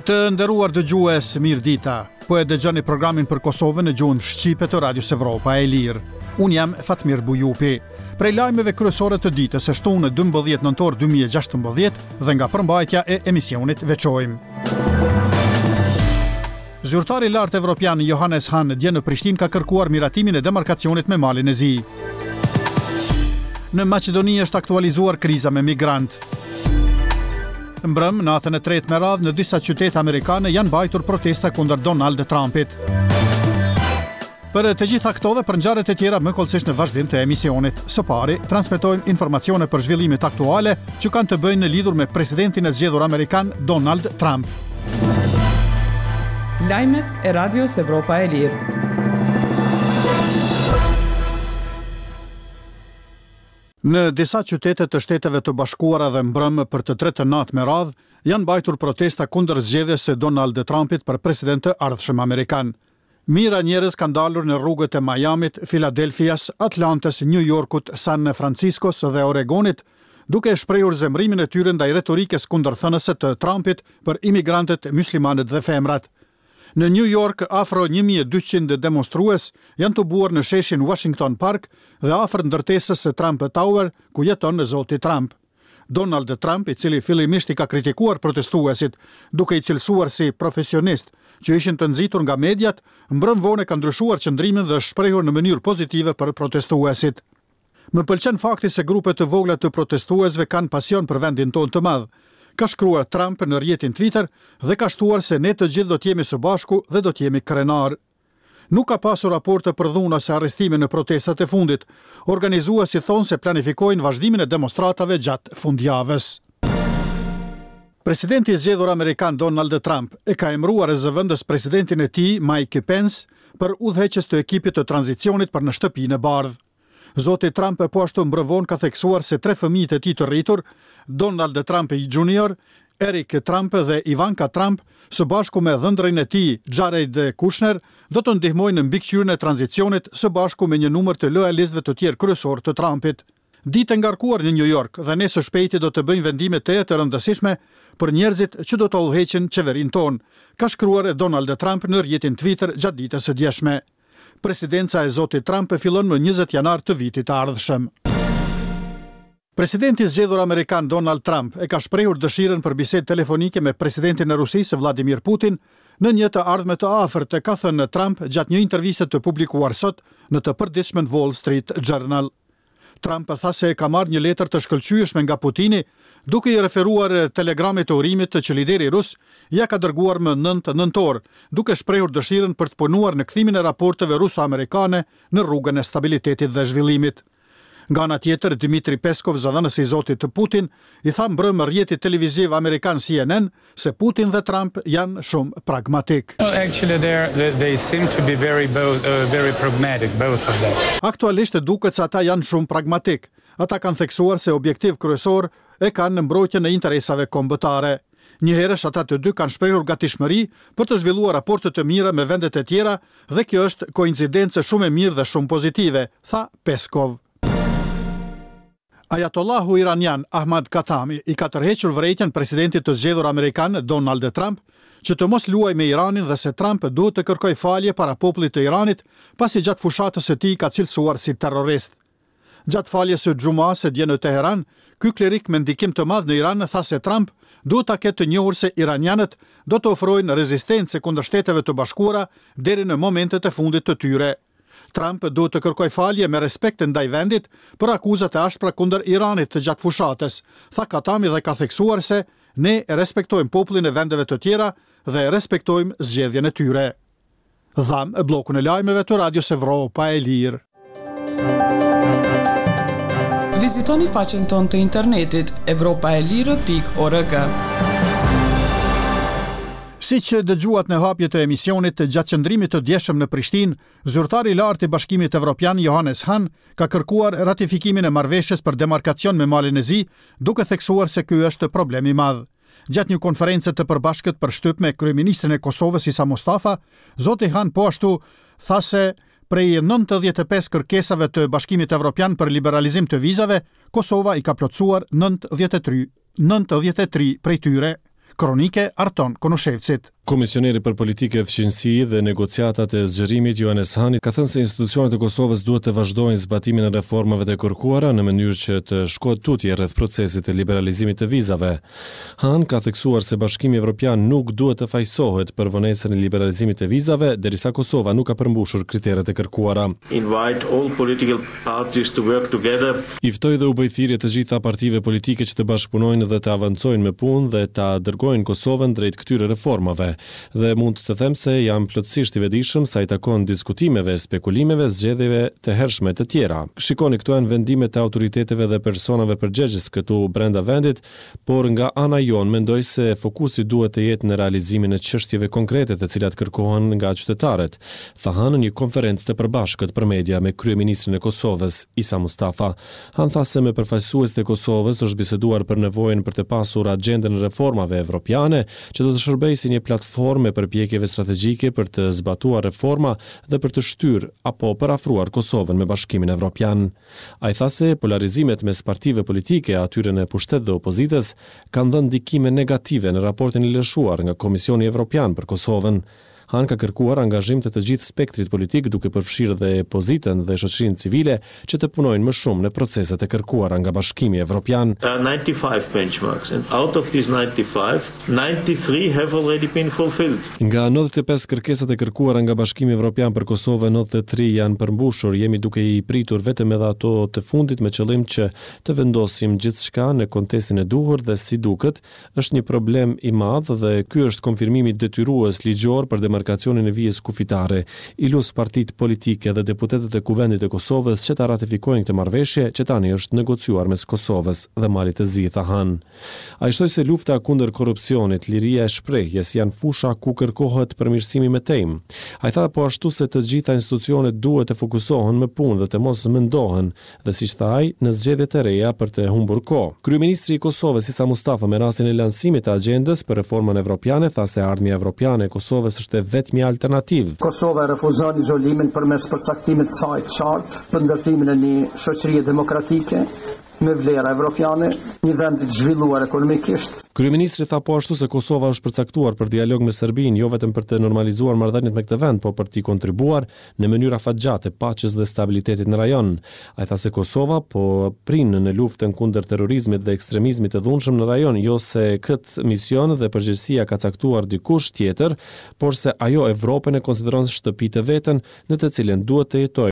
Të nderuar dëgjues, mirëdita. Po e dëgjoni programin për Kosovën në gjuhën shqipe të Radios Evropa e Lirë. Unë jam Fatmir Bujupi. Prej lajmeve kryesore të ditës së shtunë 12 nëntor 2016 dhe nga përmbajtja e emisionit veçojmë. Zyrtari i lartë evropian Johannes Hahn dje në Prishtinë ka kërkuar miratimin e demarkacionit me Malin e Zi. Në Maqedoni është aktualizuar kriza me migrantë. Mbrëmë, natën e tretë me radhë në disa qytete amerikane janë mbajtur protesta kundër Donald Trumpit. Për të gjitha këto dhe për ngjarjet e tjera më hollësisht në vazhdim të emisionit. Së pari, transmetojmë informacione për zhvillimet aktuale që kanë të bëjnë në lidhur me presidentin e zgjedhur amerikan Donald Trump. Lajmet e Radios Evropa e Lirë. Në disa qytete të Shteteve të Bashkuara dhe mbrëmë për të tretën natë me radhë janë mbajtur protesta kundër zgjedhjes së Donald Trumpit për president të ardhshëm amerikan. Mijëra njerëz kanë dalur në rrugët e Miamit, Filadelfias, Atlantës, Nju Jorkut, San Franciskos dhe Oregonit, duke shprehur zemërimin e tyre ndaj retorikës kundërthënëse të Trumpit për imigrantët, myslimanët dhe femrat. Në Nju Jork, afro 1200 demonstrues janë tubuar në sheshin Washington Park dhe afër ndërtesës së Trump Tower, ku jeton zoti Trump. Donald Trump, i cili fillimisht i ka kritikuar protestuesit, duke i cilësuar si profesionistë që ishin të nxitur nga mediat, mbrëmë vonë ka ndryshuar qëndrimin dhe është shprehur në mënyrë pozitive për protestuesit. Më pëlqen fakti se grupe të vogla të protestuesve kanë pasion për vendin tonë të madh, ka shkruar Trump në rrjetin Twitter dhe ka shtuar se ne të gjithë do të jemi së bashku dhe do të jemi krenarë. Nuk ka pasur raporte për dhunë ose arrestime në protestat e fundit. Organizuesit thonë se planifikojnë vazhdimin e demonstratave gjatë fundjavës. Presidenti i zgjedhur amerikan Donald Trump e ka emëruar zëvendës presidentin e tij, Mike Pence, për udhëheqës të ekipit të tranzicionit për në Shtëpinë e Bardhë. Zoti Trump po ashtu mbrëmë vonë ka theksuar se tre fëmijët e tij të rritur, Donald Trump Junior, Eric Trump dhe Ivanka Trump, së bashku me dhëndrin e tij, Jared Kushner, do të ndihmojnë në mbikëqyrjen e tranzicionit së bashku me një numër të lojalistëve të tjerë kryesorë të Trumpit. Ditë e ngarkuar në New York dhe ne së shpejti do të bëjmë vendime tejet të rëndësishme për njerëzit që do të udhëheqin qeverinë tonë, ka shkruar Donald Trump në rrjetin Twitter gjatë ditës së djeshme. Presidenca e zotit Trump fillon më 20 janar të vitit të ardhshëm. Presidenti i zgjedhur amerikan Donald Trump e ka shprehur dëshirën për bisedë telefonike me presidentin e Rusisë Vladimir Putin në një të ardhme të afërt, ka thënë Trump gjatë një interviste të publikuar sot në të përditshmen Wall Street Journal. Trump tha se e ka marrë një letër të shkëlqyeshme nga Putini, duke i referuar telegramit të urimit që lideri rus ia ka dërguar më 9 nëntor, duke shprehur dëshirën për të punuar në kthimin e raporteve ruso-amerikane në rrugën e stabilitetit dhe zhvillimit. Nga ana tjetër, Dmitry Peskov, zëdhënësi i zotit Putin, i tha mbrëmë rrjetit televiziv amerikan CNN se Putin dhe Trump janë shumë pragmatik. Well, actually they they seem to be very both uh, very pragmatic both of them. Aktualisht duket se ata janë shumë pragmatik. Ata kanë theksuar se objektiv kryesor e kanë mbrojtjen e interesave kombëtare. Njëherësh ata të dy kanë shprehur gatishmëri për të zhvilluar raporte të mira me vendet e tjera dhe kjo është koincidencë shumë e mirë dhe shumë pozitive, tha Peskov. Ajatollahu iranian Ahmad Khatami i ka tërhequr vërejtjen presidentit të zgjedhur amerikan Donald Trump që të mos luajë me Iranin dhe se Trump duhet të kërkojë falje para popullit të Iranit pasi gjatë fushatës së tij ka cilësuar si terrorist. Gjatë faljes së xhumasë dje në Teheran, ky klerik me ndikim të madh në Iran tha se Trump duhet ta ketë të njohur se iranianët do të ofrojnë rezistencë kundër Shteteve të Bashkuara deri në momentet e fundit të tyre. Trump duhet të kërkojë falje me respekt ndaj vendit për akuzat e ashpra kundër Iranit gjatë fushatës, tha Khatami dhe ka theksuar se ne e respektojmë popullin e vendeve të tjera dhe e respektojmë zgjedhjen e tyre. Dhamë bllokun e lajmeve të Radios Evropa e Lirë. Vizitoni faqen tonë të internetit evropaelire.org. Siç dëgjuat në hapje të emisionit, gjatë qëndrimit të djeshëm në Prishtinë, zyrtari i lartë i Bashkimit Evropian Johannes Hahn ka kërkuar ratifikimin e marrëveshjes për demarkacion me Malin e Zi, duke theksuar se ky është problem i madh. Gjatë një konference të përbashkët për shtyp me kryeministrin e Kosovës Isa Mustafa, zoti Hahn po ashtu tha se. Prej 95 kërkesave të Bashkimit Evropian për liberalizim të vizave, Kosova i ka plotësuar 93, 93 prej tyre. Kronikë e Arton Konushevcit. Komisioneri për Politikë e Fqinjësi dhe Negociatat e Zgjerimit, Johannes Hahn, ka thënë se institucionet e Kosovës duhet të vazhdojnë zbatimin e reformave të kërkuara në mënyrë që të shkohet tutje rreth procesit të liberalizimit të vizave. Hahn ka theksuar se Bashkimi Evropian nuk duhet të fajësohet për vonesën e liberalizimit të vizave, derisa Kosova nuk ka përmbushur kriteret e kërkuara. Invite all political parties to work together. I ftoj dhe u bëj thirrje të gjitha partive politike që të bashkëpunojnë dhe të avancojnë me punë dhe ta dërgojnë Kosovën drejt këtyre reformave. Dhe mund të them se jam plotësisht i vetëdijshëm sa i takon diskutimeve, spekulimeve, zgjedhjeve të hershme të tjera. Shikoni, këto janë vendime të autoriteteve dhe personave përgjegjës këtu brenda vendit, por nga ana jonë mendoj se fokusi duhet të jetë në realizimin e çështjeve konkrete të cilat kërkohen nga qytetarët, tha Hahn në një konferencë të përbashkët për media me kryeministrin e Kosovës, Isa Mustafa. Hahn tha se me përfaqësuesit e Kosovës është biseduar për nevojën për të pasur agjendën e reformave evropiane, që do të shërbejë si një platformë e përpjekjeve strategjike për të zbatuar reforma dhe për të shtyrë apo përafruar Kosovën me Bashkimin Evropian. Ai tha se polarizimet mes partive politike, atyre në pushtet dhe opozitës, kanë dhënë ndikime negative në raportin e lëshuar nga Komisioni Evropian për Kosovën. Hahn ka kërkuar angazhim të të gjithë spektrit politik duke përfshirë dhe pozitën dhe shoqërinë civile që të punojnë më shumë në proceset e kërkuara nga Bashkimi Evropian. There are 95 benchmarks and out of these 95, 93 have already been fulfilled. Nga 95 kërkesat e kërkuara nga Bashkimi Evropian për Kosovën, 93 janë përmbushur. Jemi duke i pritur vetëm edhe ato të fundit me qëllim që të vendosim gjithçka në kontestin e duhur dhe si duket, është një problem i madh dhe ky është konfirmimi detyrues ligjor për demarkacionin e vijës kufitare. I lus partitë politike dhe deputetët e Kuvendit të Kosovës që ta ratifikojnë këtë marrëveshje që tani është negociuar mes Kosovës dhe Malit të Zi, tha Hahn. Ai shtoi se lufta kundër korrupsionit, liria e shprehjes janë fusha ku kërkohet përmirësimi i mëtejmë. Ai tha po ashtu se të gjitha institucionet duhet të fokusohen me punë dhe të mos mendohen dhe siç tha ai, në zgjedhje të reja për të humbur kohë. Kryeministri i Kosovës, Isa Mustafa me rastin e lansimit të agjendës për reformën evropiane tha se ardhmja evropiane e Kosovës është e vetmja alternativë. Kosova e refuzon izolimin përmes përcaktimit të saj të qartë për ndërtimin e një shoqërie demokratike, me vlera evropiane, një vend i zhvilluar ekonomikisht. Kryeministri tha po ashtu se Kosova është përcaktuar për dialog me Serbinë, jo vetëm për të normalizuar marrëdhëniet me këtë vend, por për t'i kontribuar në mënyrë afatgjate paqes dhe stabilitetit në rajon. Ai tha se Kosova po prin në luftën kundër terrorizmit dhe ekstremizmit të dhunshëm në rajon, jo se këtë mision dhe përgjegjësi ia ka caktuar dikush tjetër, por se ajo Evropën e konsideron shtëpi të vetën, në të cilën duhet të jetojmë.